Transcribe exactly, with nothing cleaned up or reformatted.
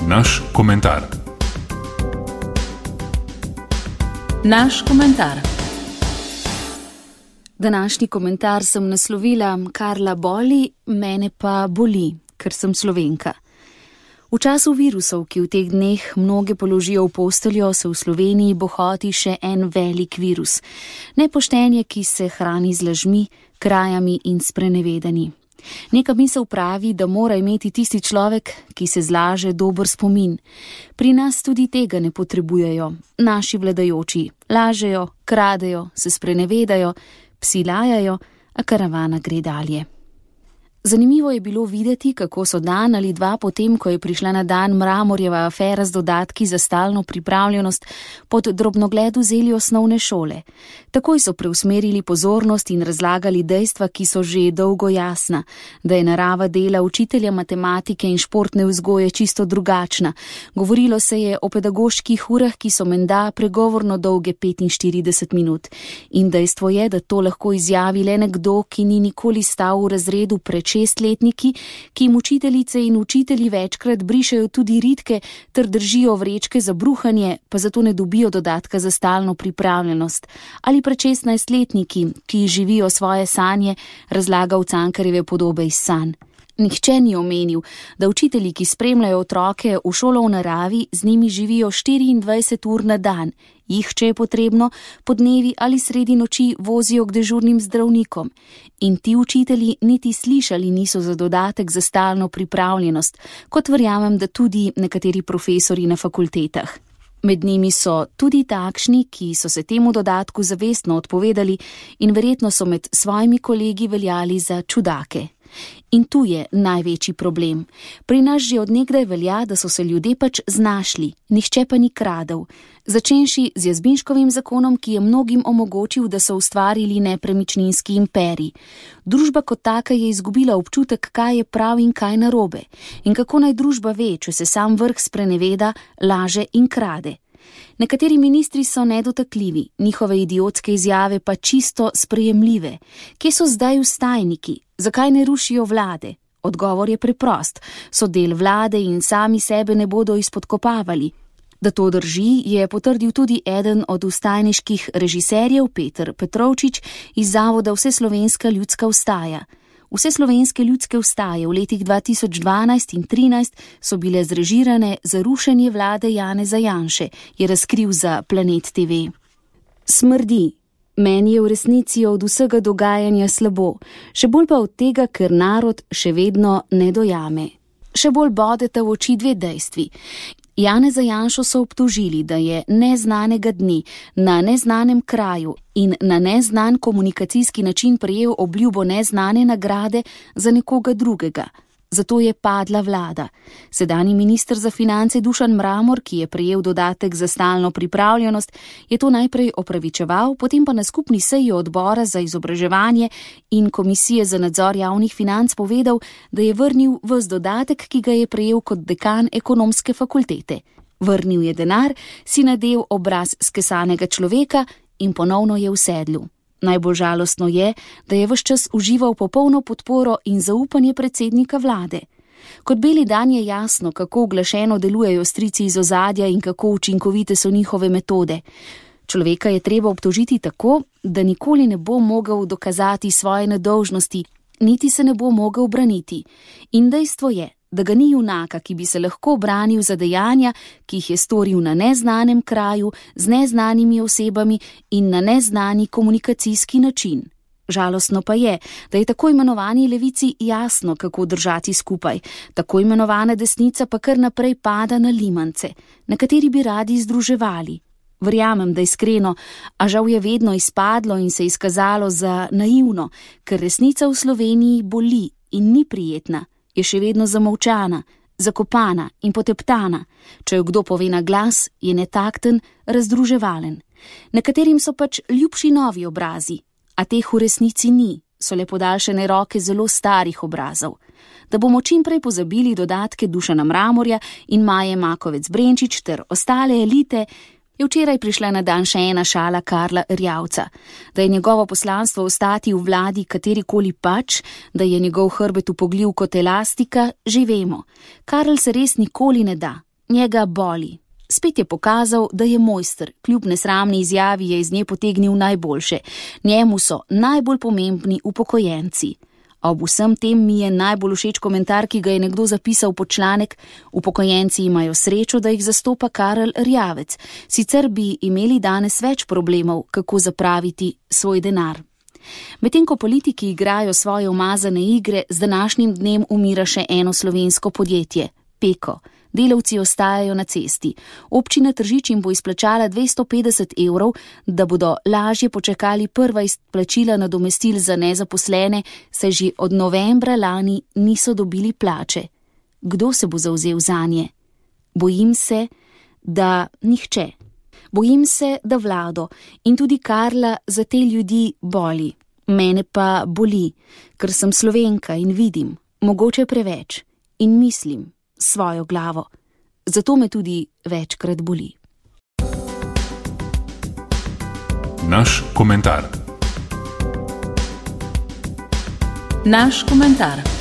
Naš komentar. Naš komentar. Današnji komentar sem naslovila Karla boli, mene pa boli, ker sem Slovenka. V času virusov, ki v teh dneh mnoge položijo v posteljo, se v Sloveniji bohoti še en velik virus. Nepoštenje, ki se hrani z lažmi, krajami in sprenevedanji. Neka misel pravi, da mora imeti tisti človek, ki se zlaže, dober spomin. Pri nas tudi tega ne potrebujejo. Naši vladajoči lažejo, kradejo, se sprenevedajo, psi lajajo, a karavana gre dalje. Zanimivo je bilo videti, kako so dan ali dva potem, ko je prišla na dan Mramorjeva afera z dodatki za stalno pripravljenost, pod drobnogled vzeli osnovne šole. Takoj so preusmerili pozornost in razlagali dejstva, ki so že dolgo jasna, da je narava dela učitelja matematike in športne vzgoje čisto drugačna. Govorilo se je o pedagoških urah, ki so menda pregovorno dolge petinštirideset minut. In dejstvo je, da to lahko izjavi le nekdo, ki ni nikoli stal v razredu pred šestletniki, ki jim učiteljice in učitelji večkrat brišejo tudi ritke ter držijo vrečke za bruhanje, pa zato ne dobijo dodatka za stalno pripravljenost. Ali pred šestnajstletniki, ki živijo svoje sanje, razlaga v Cankarjeve podobe iz sanj. Nihče ni omenil, da učitelji, ki spremljajo otroke v šolo v naravi, z njimi živijo štiriindvajset ur na dan. Jih, če je potrebno, po dnevi ali sredi noči vozijo k dežurnim zdravnikom. In ti učitelji niti slišali niso za dodatek za stalno pripravljenost, kot verjamem, da tudi nekateri profesori na fakultetah. Med njimi so tudi takšni, ki so se temu dodatku zavestno odpovedali in verjetno so med svojimi kolegi veljali za čudake. In tu je največji problem. Pri nas že od nekdaj velja, da so se ljudje pač znašli, nihče pa ni kradel. Začenši z Jazbinškovim zakonom, ki je mnogim omogočil, da so ustvarili nepremičninski imperij. Družba kot taka je izgubila občutek, kaj je prav in kaj narobe. In kako naj družba ve, če se sam vrh spreneveda, laže in krade. Nekateri ministri so nedotakljivi, njihove idiotske izjave pa čisto sprejemljive. Kje so zdaj vstajniki? Zakaj ne rušijo vlade? Odgovor je preprost. So del vlade in sami sebe ne bodo izpodkopavali. Da to drži, je potrdil tudi eden od vstajniških režiserjev Peter Petrovčič iz Zavoda Vseslovenska ljudska vstaja. Vseslovenske ljudske vstaje v letih dva tisoč dvanajst in trinajst so bile zrežirane za rušenje vlade Janeza Janše, je razkril za Planet te ve. Smrdi. Meni je v resnici od vsega dogajanja slabo, še bolj pa od tega, ker narod še vedno ne dojame. Še bolj bodeta v oči dve dejstvi. Janeza Janšo so obtožili, da je neznanega dne na neznanem kraju in na neznan komunikacijski način prejel obljubo neznane nagrade za nekoga drugega. Zato je padla vlada. Sedanji minister za finance Dušan Mramor, ki je prejel dodatek za stalno pripravljenost, je to najprej opravičeval, potem pa na skupni seji odbora za izobraževanje in komisije za nadzor javnih financ povedal, da je vrnil ves dodatek, ki ga je prejel kot dekan ekonomske fakultete. Vrnil je denar, si nadel obraz skesanega človeka in ponovno je v sedlu. Najbolj žalostno je, da je ves čas užival popolno podporo in zaupanje predsednika vlade. Kot beli dan je jasno, kako uglašeno delujejo strici iz ozadja in kako učinkovite so njihove metode. Človeka je treba obtožiti tako, da nikoli ne bo mogel dokazati svoje nedolžnosti, niti se ne bo mogel braniti. In dejstvo je, da ga ni junaka, ki bi se lahko branil za dejanja, ki jih je storil na neznanem kraju, z neznanimi osebami in na neznani komunikacijski način. Žalostno pa je, da je tako imenovani levici jasno, kako držati skupaj, tako imenovana desnica pa kar naprej pada na limance, na kateri bi radi združevali. Verjamem, da iskreno, a žal je vedno izpadlo in se izkazalo za naivno, ker resnica v Sloveniji boli in ni prijetna. Je še vedno zamolčana, zakopana in poteptana. Če jo kdo pove na glas, je netakten, razdruževalen. Nekaterim so pač ljubši novi obrazi, a teh v resnici ni, so le podaljšane roke zelo starih obrazov. Da bomo čim prej pozabili dodatke Dušana Mramorja in Maje Makovec Brenčič ter ostale elite, je včeraj prišla na dan še ena šala Karla Erjavca. Da je njegovo poslanstvo ostati v vladi katerikoli pač, da je njegov hrbet upogljiv kot elastika, že vemo. Karl se res nikoli ne da. njega boli. Spet je pokazal, da je mojster, kljub nesramni izjavi je iz nje potegnil najboljše. Njemu so najbolj pomembni upokojenci. A ob vsem tem mi je najbolj všeč komentar, ki ga je nekdo zapisal pod članek: upokojenci imajo srečo, da jih zastopa Karel Erjavec, sicer bi imeli danes več problemov, kako zapraviti svoj denar. Medtem ko politiki igrajo svoje umazane igre, z današnjim dnem umira še eno slovensko podjetje, Peko. Delavci ostajajo na cesti. Občina Tržič jim bo izplačala dvesto petdeset evrov, da bodo lažje počakali prva izplačila nadomestil za nezaposlene, saj že od novembra lani niso dobili plače. Kdo se bo zavzel zanje? Bojim se, da nihče. Bojim se, da Vlado in tudi Karla za te ljudi boli. Mene pa boli, ker sem Slovenka in vidim, mogoče preveč, in mislim svojo glavo. Zato me tudi večkrat boli. Naš komentar. Naš komentar.